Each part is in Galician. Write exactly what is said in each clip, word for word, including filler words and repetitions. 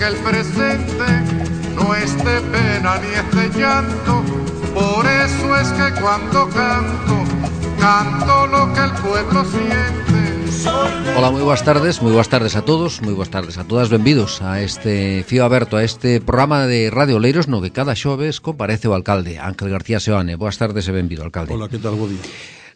que el presente no es de pena ni es de llanto. Por eso es que cuando canto, canto lo que el pueblo siente. Ola, moi boas tardes, moi boas tardes a todos, moi boas tardes a todas, benvidos a este Fío Aberto, a este programa de Radio Oleiros no que cada xoves comparece o alcalde, Ángel García Seoane. Boas tardes e benvido, alcalde. Ola, que tal, bo día.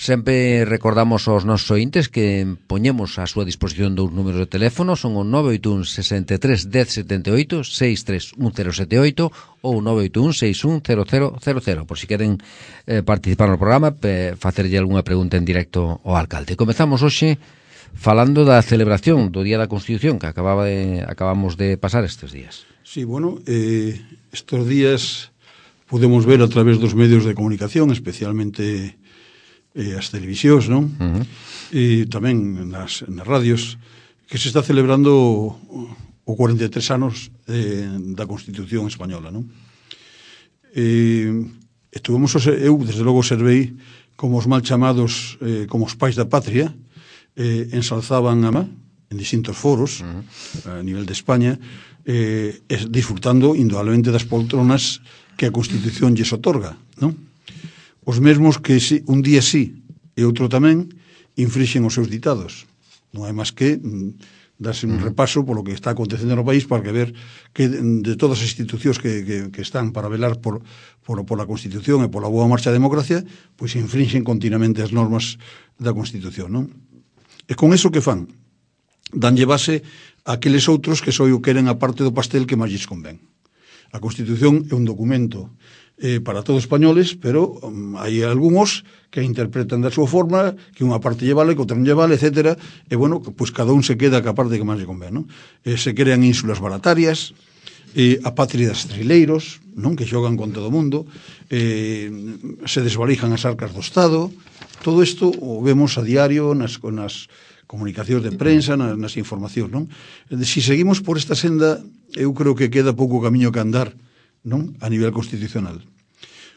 Sempre recordamos aos nosos ointes que poñemos a súa disposición dous números de teléfono, son o nove oito un, sesenta e tres, dez, setenta e oito, seis tres un cero sete oito ou nove oito un, seis un, cero cero cero cero, por si queren eh, participar no programa, pe, facerlle algunha pregunta en directo ao alcalde. Comezamos hoxe falando da celebración do Día da Constitución que acababa de, acabamos de pasar estes días. Sí, bueno, eh, estos días podemos ver a través dos medios de comunicación, especialmente eh, as televisións, non? Uh-huh. E tamén nas, nas radios, que se está celebrando o, o cuarenta e tres anos eh, da Constitución española, non? Eh, estuvemos, eu desde logo servei como os mal chamados, eh, como os pais da patria, Eh, ensalzaban a má en distintos foros uh-huh. a nivel de España, eh, disfrutando indudablemente das poltronas que a Constitución lles otorga, non? Os mesmos que si, un día sí e outro tamén infrixen os seus ditados. Non hai máis que mm, darse un uh-huh. repaso polo que está acontecendo no país para que ver que de todas as institucións que, que, que están para velar por, por, por a Constitución e pola boa marcha da democracia, pois infrinxen continuamente as normas da Constitución, non? E con eso que fan? Danlle base a aqueles outros que só o queren a parte do pastel que máis lles convén. A Constitución é un documento eh, para todos españoles, pero um, hai algúns que interpretan da súa forma, que unha parte lle vale, que outra non lle vale, etcétera. E, bueno, pois cada un se queda ca parte que máis lle convén, non? Eh, se crean ínsulas baratarias, eh, a patria das trileiros, non? Que xogan con todo o mundo, eh, se desvalijan as arcas do Estado. Todo isto o vemos a diario nas, nas comunicacións de prensa, nas, nas informacións, non? Si seguimos por esta senda, eu creo que queda pouco camiño que andar, non? A nivel constitucional.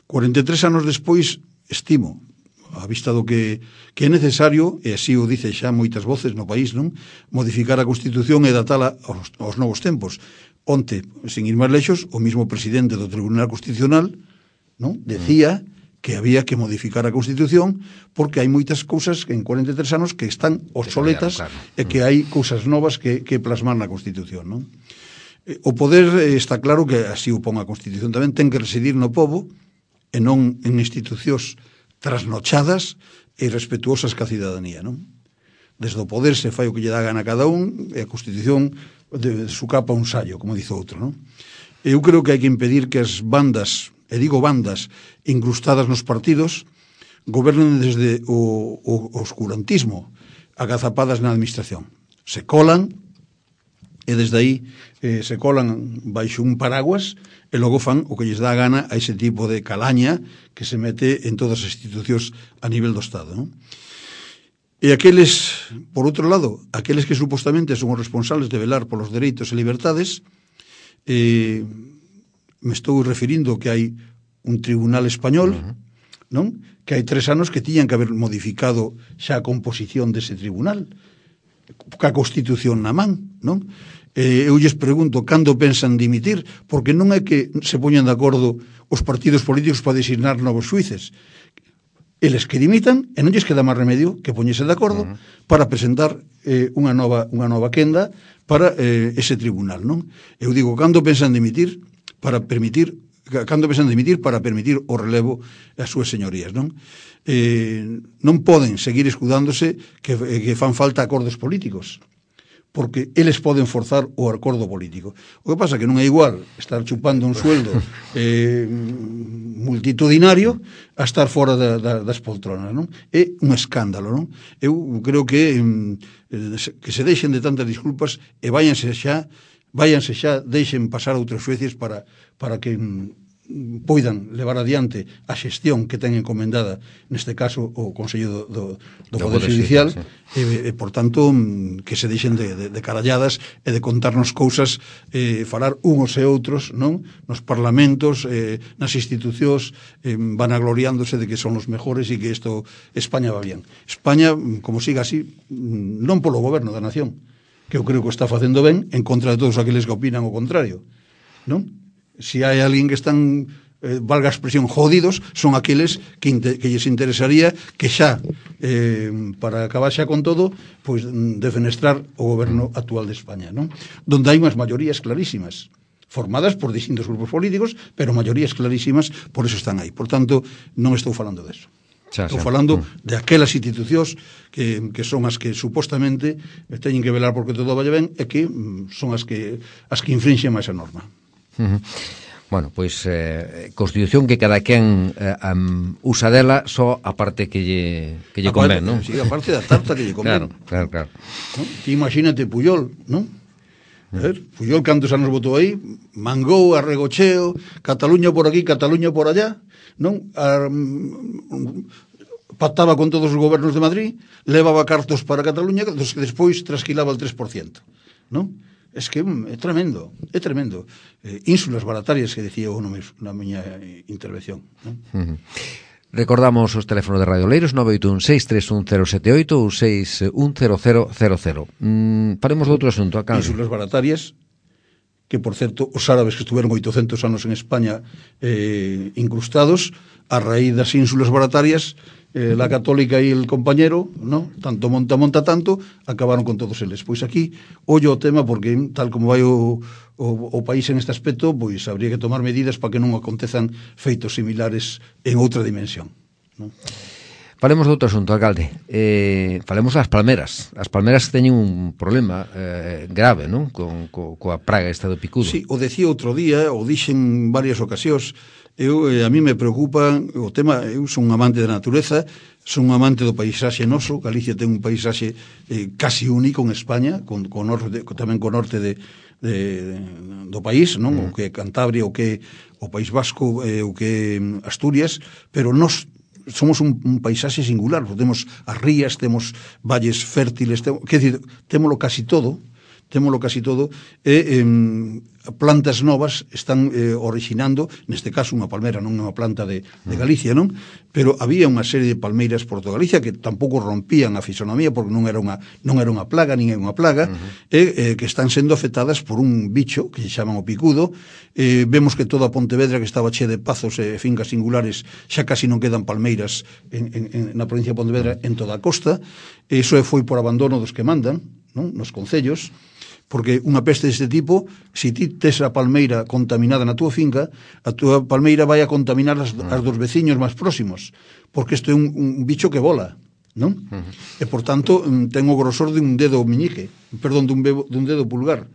cuarenta e tres anos despois, estimo, a vista do que, que é necesario, e así o dice xa moitas voces no país, non? Modificar a Constitución e datala aos, aos novos tempos. Onte, sin ir máis lexos, o mismo presidente do Tribunal Constitucional, non? Decía que había que modificar a Constitución porque hai moitas cousas en cuarenta e tres anos que están obsoletas claro, claro. E que hai cousas novas que, que plasmar na Constitución, non? O poder está claro que así o pon a Constitución tamén, ten que residir no pobo e non en institucións trasnochadas e respetuosas ca cidadanía, non? Desde o poder se fai o que lle dá gana a cada un e a Constitución de, de su capa un sallo, como dice outro, non? Eu creo que hai que impedir que as bandas, e digo bandas, incrustadas nos partidos, gobernen desde o, o, o oscurantismo, agazapadas na administración. Se colan, e desde aí eh, se colan baixo un paraguas, e logo fan o que lles dá a gana a ese tipo de calaña que se mete en todas as institucións a nivel do Estado, non? E aqueles, por outro lado, aqueles que supostamente son os responsables de velar polos dereitos e libertades, eh, me estou referindo que hai un tribunal español, uh-huh. non? Que hai tres anos que tiñan que haber modificado xa a composición dese tribunal, ca Constitución na man, non? Eh, eu lles pregunto cando pensan dimitir, porque non é que se poñan de acordo os partidos políticos para designar novos xuíces. Eles que dimitan e non lles queda máis remedio que poñese de acordo uh-huh. para presentar eh, unha nova unha nova quenda para eh, ese tribunal, non? Eu digo, cando pensan dimitir para permitir, cando pensan dimitir para permitir o relevo ás súas señorías, non? Eh, non poden seguir escudándose que, que fan falta acordos políticos, porque eles poden forzar o acordo político. O que pasa é que non é igual estar chupando un sueldo eh, multitudinario a estar fora da, da, das poltronas, non? É un escándalo, non? Eu creo que eh, que se deixen de tantas disculpas e váyanse xa váyanse xa, deixen pasar outros xueces para, para que mm, poidan levar adiante a xestión que ten encomendada, neste caso, o Consello do, do, do Poder Judicial, sí. e, e, por tanto, que se deixen de, de, de caralladas e de contarnos cousas, eh, falar uns e outros, non? Nos parlamentos, eh, nas institucións, eh, van agloriándose de que son os mejores e que isto, España va bien. España, como siga así, non polo goberno da nación, que eu creo que está facendo ben en contra de todos aqueles que opinan o contrario, non? Se hai alguén que están, eh, valga a expresión, jodidos, son aqueles que, inte, que lles interesaría que xa, eh, para acabar xa con todo, pois defenestrar o goberno actual de España, non? Donde hai unhas maiorías clarísimas, formadas por distintos grupos políticos, pero maiorías clarísimas, por eso están aí. Por tanto, non estou falando deso. Xa, xa. Estou falando mm. de aquelas institucións que, que son as que supostamente teñen que velar porque todo vaya ben e que mm, son as que as que infringen máis a norma. Uh -huh. Bueno, pois eh, Constitución que cada quen eh, um, usa dela só a parte que lle, que lle convén, non? Sí, a parte da tarta que lle convén. Claro, claro, claro. ¿No? Ti imagínate Puyol, non? A ver, Puyol cantos anos votou aí, mangou, arregocheo, Cataluña por aquí, Cataluña por allá, non? A, mm, pactaba con todos os gobernos de Madrid, levaba cartos para Cataluña, dos que despois trasquilaba el tres por ciento, non? Es que é tremendo, é tremendo. Eh, ínsulas baratarias que decía eu na miña intervención, non? Uh -huh. Recordamos os teléfonos de Radio Oleiros nove oito un seis tres un cero sete oito ou seis un cero cero cero cero. Mm, faremos outro asunto acá. Ínsulas baratarias, que por certo os árabes que estuveron oitocentos anos en España eh, incrustados, a raíz das ínsulas baratarias, eh, la católica e el compañero, ¿no? Tanto monta, monta tanto, acabaron con todos eles. Pois aquí, ollo o tema, porque tal como vai o, o, o país en este aspecto, pois habría que tomar medidas para que non acontezan feitos similares en outra dimensión, ¿no? Falemos de outro asunto, alcalde. Eh, falemos das palmeras. As palmeras teñen un problema eh, grave, non? Con, co, coa praga esta do picudo. Sí, o decía outro día, o dixen varias ocasións. Eu, eh, a mí me preocupa o tema. Eu son un amante da natureza, son un amante do paisaxe noso. Galicia ten un paisaxe eh, casi único en España, con, con norte, tamén con norte de, de, do país, non? Mm. O que é Cantabria, o que é o País Vasco, eh, o que é Asturias, pero nos somos un, un paisaxe singular. Temos as rías, temos valles fértiles, temos, que decir, témolo casi todo, témolo casi todo, e eh, plantas novas están eh, originando, neste caso unha palmera, non unha planta de, de Galicia, non? Pero había unha serie de palmeiras por toda Galicia que tampouco rompían a fisonomía porque non era unha, non era unha plaga, nin é unha plaga, uh -huh. e eh, que están sendo afectadas por un bicho que se chaman o picudo. Eh, vemos que toda Pontevedra, que estaba che de pazos e fincas singulares, xa casi non quedan palmeiras en, en, en, na provincia de Pontevedra, en toda a costa. Iso foi por abandono dos que mandan, non? Nos concellos, porque unha peste deste tipo, se ti tes a palmeira contaminada na túa finca, a túa palmeira vai a contaminar as, as dos veciños máis próximos, porque isto é un, un bicho que vola, non? Uh -huh. E, por tanto, ten o grosor de un dedo miñique, perdón, dun, bebo, dun dedo pulgar.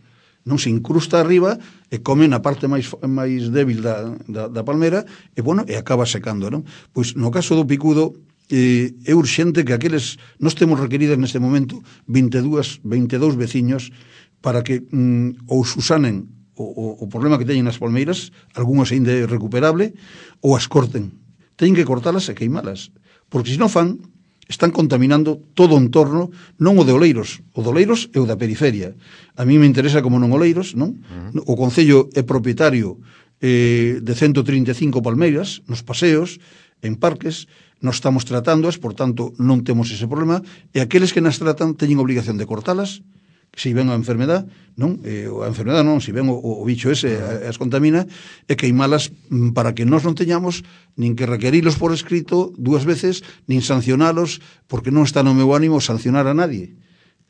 Non se incrusta arriba e come na parte máis máis débil da, da, da palmera e, bueno, e acaba secando, non? Pois, no caso do picudo, eh, é urxente que aqueles, nós temos requeridas neste momento vinte e dous, vinte e dous veciños para que mm, ou susanen o, o, o problema que teñen nas palmeiras, algunhas ainda é recuperable, ou as corten. Teñen que cortalas e queimalas, porque se non fan, están contaminando todo o entorno, non o de Oleiros, o de Oleiros é o da periferia. A mí me interesa como non Oleiros, non? Uh -huh. O Concello é propietario eh, de ciento trinta e cinco palmeiras nos paseos, en parques, nos estamos tratándoas, por tanto, non temos ese problema, e aqueles que nas tratan teñen obligación de cortalas, se ven a enfermedad, non? Eh, a enfermedad non, se ven o, o bicho ese as contamina, e queimalas para que nós non teñamos nin que requerilos por escrito dúas veces, nin sancionalos, porque non está no meu ánimo sancionar a nadie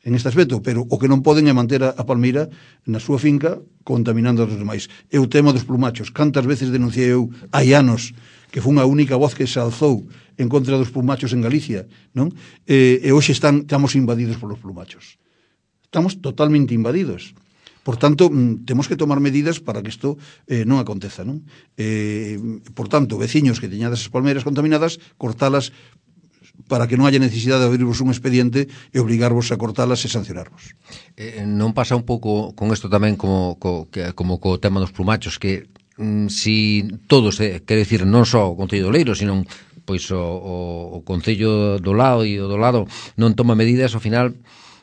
en este aspecto, pero o que non poden é manter a, a palmeira na súa finca contaminando os demais. E o tema dos plumachos, cantas veces denunciei eu hai anos que foi unha única voz que se alzou en contra dos plumachos en Galicia, non? E, e hoxe están, estamos invadidos polos plumachos. Estamos totalmente invadidos. Por tanto, temos que tomar medidas para que isto eh, non aconteza, non? Eh, por tanto, veciños que teñades as palmeiras contaminadas, cortalas para que non haya necesidade de abrirvos un expediente e obligarvos a cortalas e sancionarvos. Eh, non pasa un pouco con isto tamén como co, que, como co tema dos plumachos, que mm, si todos, eh, quero dicir, non só o Concello de Oleiros, sino pois o, o, o Concello do lado e o do lado non toma medidas, ao final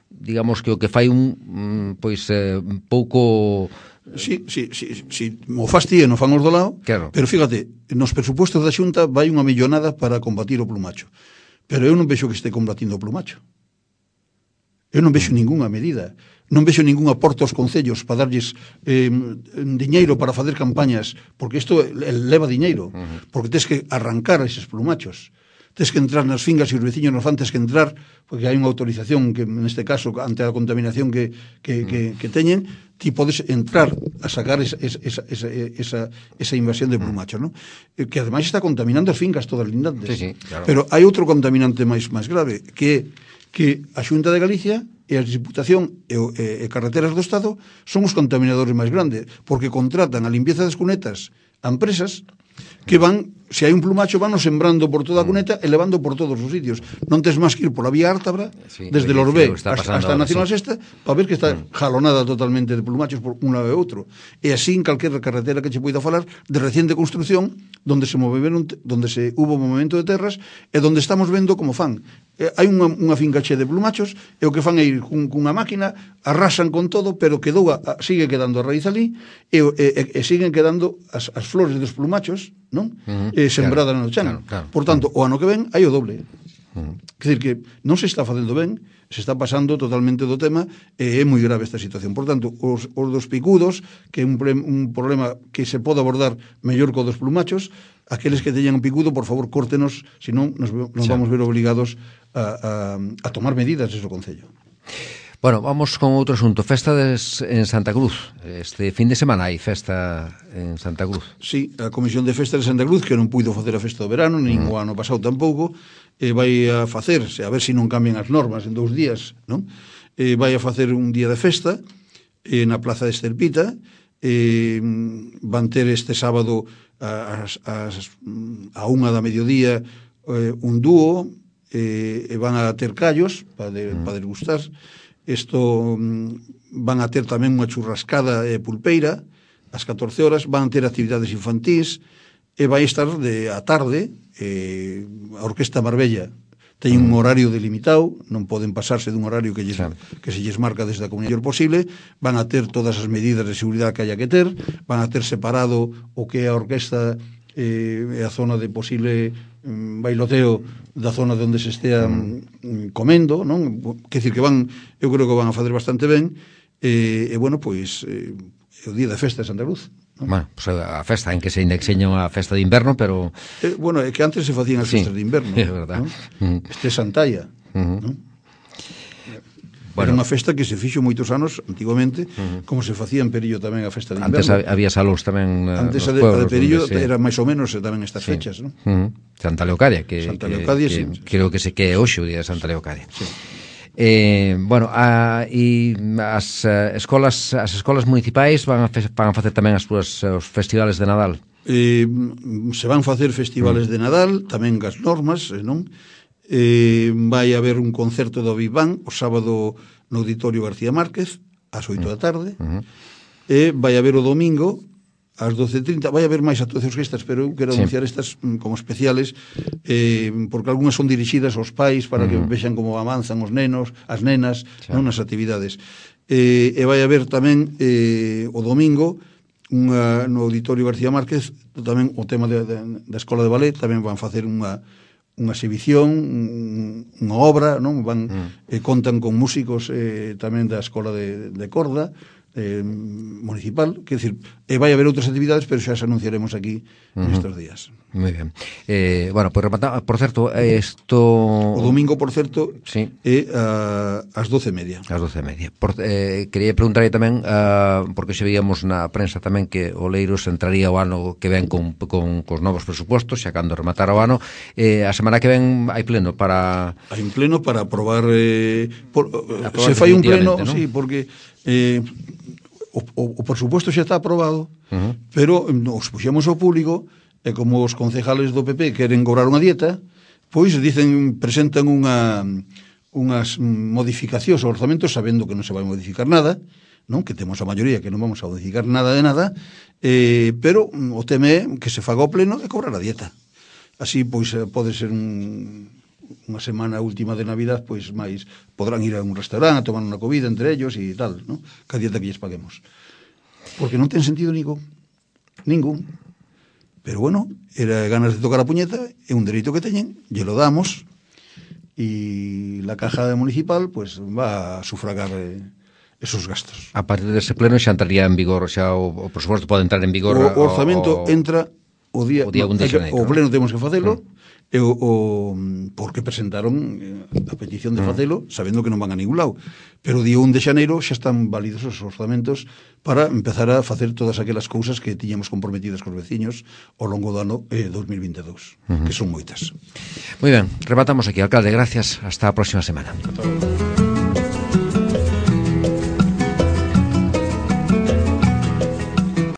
digamos que o que fai un pois eh, un pouco Si, si, si, si mo fastía non fan os do lado, claro. Pero fíjate, nos presupuestos da Xunta vai unha millonada para combatir o plumacho, pero eu non vexo que este combatindo o plumacho. Eu non vexo ningunha medida, non vexo ningún aporte aos concellos para darlles eh, diñeiro para facer campañas, porque isto leva diñeiro, porque tens que arrancar eses plumachos, tens que entrar nas fingas e os veciños nos fan, tens que entrar, porque hai unha autorización que, neste caso, ante a contaminación que, que, que, que teñen, ti podes entrar a sacar esa, esa, esa, esa, esa invasión de plumachos, non? Que ademais está contaminando as fincas todas lindantes. Sí, sí, claro. Pero hai outro contaminante máis máis grave, que é que a Xunta de Galicia e a Diputación e, e, e Carreteras do Estado son os contaminadores máis grandes, porque contratan a limpieza das cunetas a empresas que van, se hai un plumacho, van sembrando por toda a cuneta e levando por todos os sitios. Non tes máis que ir pola vía Ártabra, sí, desde Lorbé hasta, hasta a Nacional sí. Sexta, para ver que está mm. jalonada totalmente de plumachos por un lado e outro. E así en calquera carretera que che poida falar de reciente construcción, donde se moveron, donde se hubo movimento de terras, e donde estamos vendo como fan. Eh, hai unha, unha finca che de plumachos, e o que fan é ir cun, cunha máquina, arrasan con todo, pero quedou a, a, sigue quedando a raíz ali, e, e, e siguen quedando as, as flores dos plumachos, non? Uh -huh. eh, sembrada claro, no chan. Claro, claro. Por tanto, o ano que ven hai o doble. Uh -huh. Quer dizer que non se está facendo ben, se está pasando totalmente do tema, e é moi grave esta situación. Por tanto, os, os dos picudos, que é un, un problema que se pode abordar mellor co dos plumachos, aqueles que teñan un picudo, por favor, córtenos, senón nos, nos sí. vamos ver obligados a, a, a tomar medidas desde o Concello. Bueno, vamos con outro asunto. Festa des, en Santa Cruz. Este fin de semana hai festa en Santa Cruz. Sí, a Comisión de Festas de Santa Cruz, que non puido facer a festa do verano, nin mm. o ano pasado tampouco, eh, vai a facerse, a ver se non cambian as normas en dous días, non? Eh, vai a facer un día de festa eh, na Plaza de Estelpita, eh, van ter este sábado as, as, a unha da mediodía eh, un dúo, eh, e van a ter callos para, de, mm. para degustar. Isto van a ter tamén unha churrascada e pulpeira ás catorce horas, van a ter actividades infantís e vai estar de a tarde eh, a Orquesta Marbella ten un horario delimitado, non poden pasarse dun horario que, lles, que se lles marca desde a comunidade posible, van a ter todas as medidas de seguridade que haya que ter, van a ter separado o que é a orquesta e eh, a zona de posible um, bailoteo da zona onde se estea um, comendo, non? Quer dicir que van, eu creo que van a fazer bastante ben, e, e bueno, pois eh, o día de festa de Santa Cruz, non? Bueno, pues a festa en que se indexeña unha festa de inverno, pero... Eh, bueno, é que antes se facían as sí, festas de inverno, é verdad. ¿no? Este é Santalla, uh -huh. non? Bueno, era unha festa que se fixo moitos anos antigamente, uh -huh. como se facía en Perillo tamén a festa de inverno. Antes había salóns tamén uh, antes a de, a de Perillo se... era máis ou menos tamén estas sí. fechas, non? Uh -huh. Santa Leocadia, que, Santa que, Leocadia, que, sí, que creo que se que é hoxe o día de Santa Leocadia. Sí. Eh, bueno, a, e as uh, escolas as escolas municipais van a, fe, van a facer tamén as súas os festivales de Nadal. Eh, se van facer festivales uh -huh. de Nadal, tamén gas normas, non? Eh, vai haber un concerto do Big Bang o sábado no Auditorio García Márquez ás oito da tarde, uh -huh. e vai haber o domingo ás doce e trinta, vai haber máis actuacións que estas, pero eu quero sí. anunciar estas como especiales, eh, porque algunhas son dirixidas aos pais para uh -huh. que vexan como avanzan os nenos, as nenas, sí. non nas actividades. Eh, e vai haber tamén eh, o domingo unha, no Auditorio García Márquez tamén o tema de, de, da Escola de Ballet, tamén van facer unha unha exhibición, unha obra, non? Van mm. eh, contan con músicos eh, tamén da Escola de, de Corda eh, municipal, quer decir, e vai haber outras actividades, pero xa as anunciaremos aquí uh -huh. nestes días. Moi ben. Eh, bueno, pues repata, por certo, isto... O domingo, por certo, sí. é uh, ás doce e media. Ás doce e media. Por, eh, quería preguntarlle tamén, uh, porque xe veíamos na prensa tamén que Oleiros entraría o ano que ven con, con, con os novos presupostos, xa cando rematara o ano. Eh, a semana que ven hai pleno para... Hai un pleno para aprobar... Eh, por, aprobar se fai un pleno, ¿no? Sí, porque... Eh, o, o, o presupuesto xa está aprobado, uh -huh. pero nos puxemos ao público e como os concejales do P P queren cobrar unha dieta, pois dicen, presentan unha unhas modificacións ao orzamento sabendo que non se vai modificar nada, non? Que temos a maioría que non vamos a modificar nada de nada, eh, pero o tema é que se faga o pleno e cobrar a dieta. Así, pois, pode ser un, unha semana última de Navidad, pois máis podrán ir a un restaurante a tomar unha comida entre ellos e tal, non? Que a dieta que lles paguemos. Porque non ten sentido ningún. Ningún. Pero bueno, era ganas de tocar a puñeta, é un dereito que teñen, lle lo damos, y la caja municipal pues va a sufragar eh, esos gastos. A partir dese pleno xa entraría en vigor, xa o, o presuposto pode entrar en vigor. O, o orzamento o, entra o día, o día un de xaneiro. O pleno temos que facelo, mm. E o, o, porque presentaron a petición de facelo sabendo que non van a ningún lado, pero o día un de xaneiro xa están válidos os orzamentos para empezar a facer todas aquelas cousas que tiñamos comprometidas cos veciños ao longo do ano eh, dos mil vinte e dous, uh-huh. que son moitas. Moi ben, rematamos aquí, alcalde, gracias, hasta a próxima semana. Hasta